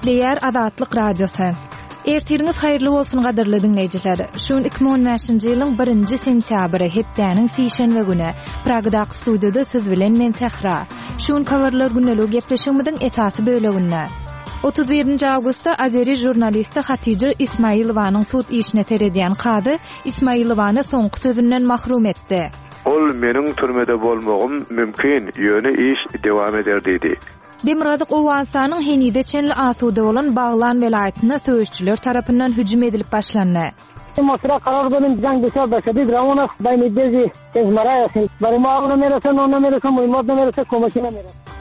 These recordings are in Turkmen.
Gepleýär Azatlyk Radiosy. Ertiriňiz haýyrly bolsun gadyrly diňleýjiler. Şu gün 2015-nji ýylyň birinji sentýabry, hepdäniň sişenbe güni. Pragadaky studiýada siz bilen men Sähra. Şu gün Habarlar gündeligi gepleşigimiziň esasy böleginde. 31-nji awgustda azeri žurnalisti Hatija Ismailowanyň sud işine seredýän kazy Ismailowany soňky sözünden mahrum etdi. Ol meniň türmede bolmagym mümkin, ýöne iş dewam eder diýdi. Demirgazyk Owganystanyň henize çenli asuda bolan Baglan welaýatynda söweşijiler tarapyndan hüjüm edilip başlandy.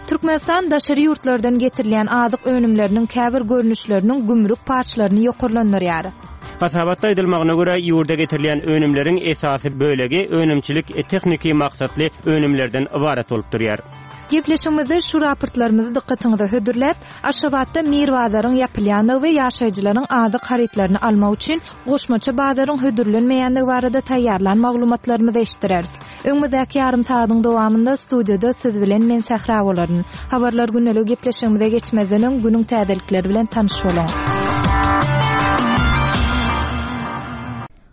Türkmenistan daşary ýurtlardan getirilýän azyk önümleriniň käbir görnüşleriniň gümrük paçlaryny ýokarlandyrýar. Hasabatda aýdylmagyna görä, ýurda getirilýän önümleriň esasy bölegi önümçilik-tehniki maksatly önümlerden ybarat bolup durýar. Gepleşigimizde şu raportlarymyzy dykgatyňyza hödürläp, Aşgabatda Mir bazaryň ýapylýandygy we ýaşaýjylaryň azyk harytlaryny almak üçin goşmaça bazaryň hödürlenmeýändigi barada taýýarlan maglumatlarymyzy eşitdireris. Öňümizdäki ýarym sagadyň dowamynda studiýada siz bilen men Sähra bolaryn. Habarlar gündeligi gepleşigimize geçmezden öň günüň täzelikleri bilen tanyş boluň.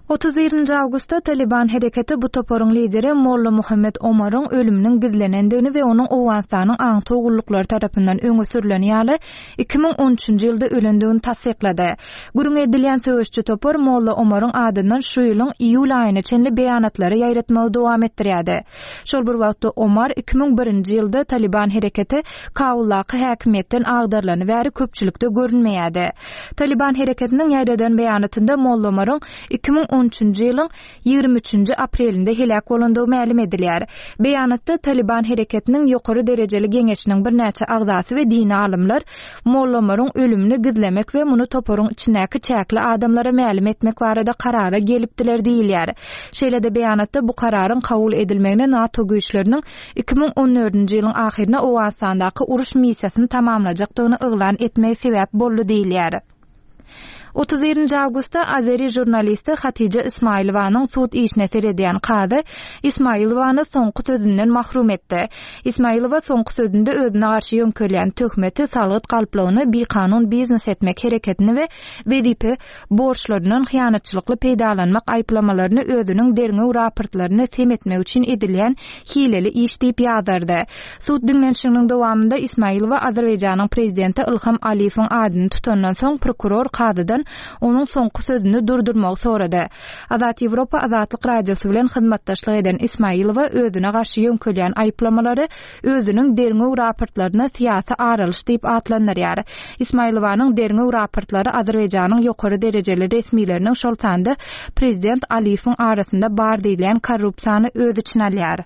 31-nji awgustda Talyban hereketi bu toparyň lideri Molla Muhammet Omaryň ölüminiň gizlenendigini we onuň Owganystanyň aňtaw gulluklary tarapyndan öňe sürleni ýaly 2013-nji ýylda ölendigini tassyklady. Gürrüňi edilýän söweşçi topar Molla Omaryň adyndan şu ýylyň iýul aýyna çenli beýanatlary ýaýratmagy dowam etdirýärdi. Şol bir wagtda Omar 2001-nji ýylda Talyban hereketi Kabuldaky häkimiýetden agdarylany bäri köpçülikde görünmeýärdi. Talyban hereketiniň ýaýradan beýanatynda Molla Omaryň 2013-nji ýylyň 23-nji aprelinde heläk bolandygy mälim edilýär. Beýanatda Talyban hereketiniň ýokary derejeli geňeşiniň birnäçe agzasy we dini alymlar Molla Omaryň ölümini gizlemek we muny toparyň içindäki çäkli adamlara mälim etmek barada karara gelipdiler diýilýär. Şeýle-de beýanatda bu kararyň kabul edilmegine NATO güýçleriniň 2014-nji ýylyň ahyryna Owganystandaky uruş missiýasyny tamamlajakdygyny yglan etmegi sebäp boldy diýilýär. 31-nji awgustda azeri žurnalisti Hatija Ismailowanyň sud işine seredýän kazy Ismailowany soňky sözünden mahrum etdi. Ismailowa soňky sözünde özüne garşy ýöňkelýän töhmeti, salgyt galplygyny, bikanun biznes etmek hereketini we wezipe borçlaryndan hyýanatçylykly peýdalanmak aýyplamalaryny özüniň derňew raportlaryny sem etmek üçin edilýän hileli iş diýip ýazardy. Sud diňlenişiginiň dowamynda Ismailowa Azerbaýjanyň prezidenti Ilham Aliýewiň adyny tutandan soň prokuror kazydan onuň soňky sözüni durdurmagy sorady. Azat Ýewropa Azatlyk Radiosy bilen hyzmatdaşlyk eden Ismailowa özüne garşy ýöňkelýän aýyplamalary özüniň derňew raportlaryna syýasy aralyş diýip atlandyrýar. Ismailowanyň derňew raportlary Azerbaýjanyň ýokary derejeli resmileriniň, şol sanda prezident Aliýewiň arasynda bar diýilýän korrupsiýany öz içine alýar.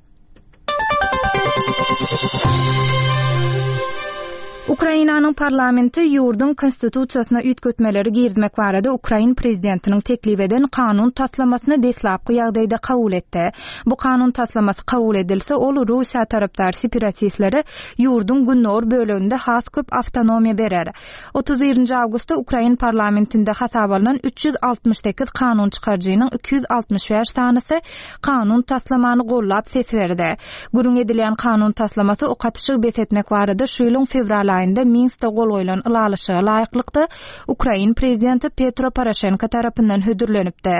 Ukrainanyň parlamenti ýurduň Konstitusiýasyna üýtgetmeleri girizmek barada ukrain prezidentiniň teklip eden kanun taslamasyny deslapky ýagdaýda kabul etdi. Bu kanun taslamasy kabul edilse, ol Russiýa tarapdar separatistlere ýurduň gündogar böleginde has köp awtonomiýa berer. 31-nji awgustda ukrain parlamentinde hasaba alnan 368 kanun çykaryjynyň 265 sanysy kanun taslamany gollap ses berdi. Gürrüň edilýän kanun taslamasy ok atyşygy bes etmek barada şu ýylyň fewral aýynda Minskde gol goýlan ylalaşyga laýyklykda ukrain prezidenti Petro Poroşenko tarapyndan hödürlenipdi.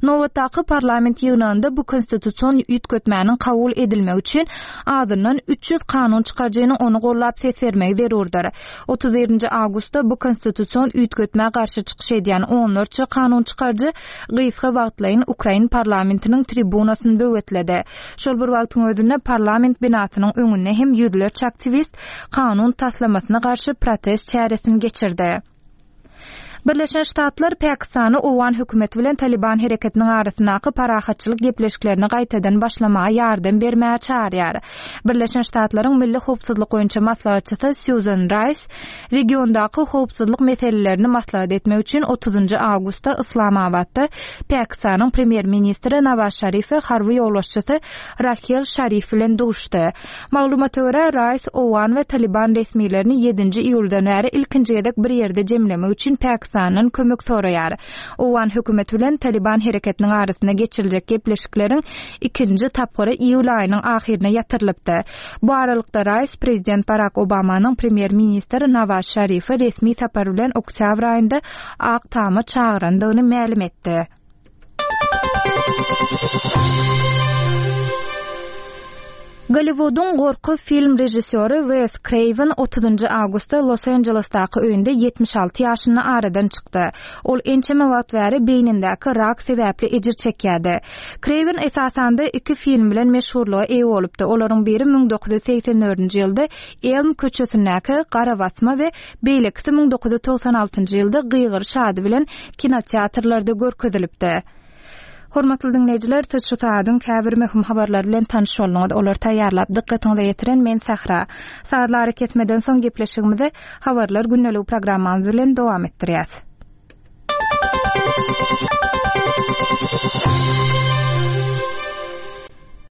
Nobatdaky parlament ýygnagynda bu konstitusion üýtgetmäniň kabul edilmegi üçin azyndan 300 kanun çykaryjynyň ony gollap ses bermegi zerurdyr. 31-nji awgustda bu konstitusion üýtgetmä garşy çykyş edýän onlarça kanun çykaryjy gysga wagtlaýyn ukrain parlamentiniň tribunasyny böwetledi. Şol bir wagtyň özünde parlament binasynyň öňünde hem ýüzlerçe aktiwist kanun taslamasyna garşy protest çäresini geçirdi. Birleşen Ştatlar Pakistany owgan hökümeti bilen Talyban hereketiniň arasyndaky parahatçylyk gepleşiklerini gaýtadan başlamaga ýardam bermäge çagyrýar. Birleşen Ştatlaryň milli howpsuzlyk boýunça maslahatçysy Sýuzan Raýs regiondaky howpsuzlyk meselelerini maslahat etmek üçin otuzynjy awgustda Yslamabatda Pakistanyň premýer-ministri Nawaz Şarif we harby ýolbaşçysy Rahel Şarif bilen duşdy. Maglumata görä, Raýs owgan we Talyban resmilerini ýedinji iýuldan bäri ilkinji gezek bir ýerde jemlemek üçin Pakistana. Pakistandan kömek soraýar. Owgan hökümeti bilen Talyban hereketiniň arasynda geçiriljek gepleşikleriň ikinji tapgyry iýul aýynyň ahyryna ýatyrylypdy. Bu aralykda Raýs prezident Barak Obamanyň premýer-ministr Nawaz Şarifi resmi sapar bilen oktýabr aýynda Ak Tama çagyrandygyny mälim etdi. Golliwudyň gorky film režissýory Wes Kreýwen otuzynjy awgustda Los-Anjelesdaky öýünde 76 ýaşynda aradan çykdy. Ol ençeme wagt bäri beýnindäki rak sebäpli ejir çekýärdi. Kreýwen esasanda iki film bilen meşhurlyga eýe bolupdy. Olaryň biri 1984-nji ýylda Elm köçesindäki Garabasma we beýlekisi 1996-njy ýylda Gygyryş ady bilen kinoteatrlarda görkezilipdi. Hormatly diňleýjiler, siz şu sagadyň käbir möhüm habarlary bilen tanyş bolduňyz. Olary taýýarlap, dykgatyňyza ýetiren men Sähra. Sazly arakesmeden soň gepleşigimizi Habarlar gündeligi programmamyz bilen dowam etdirýäs.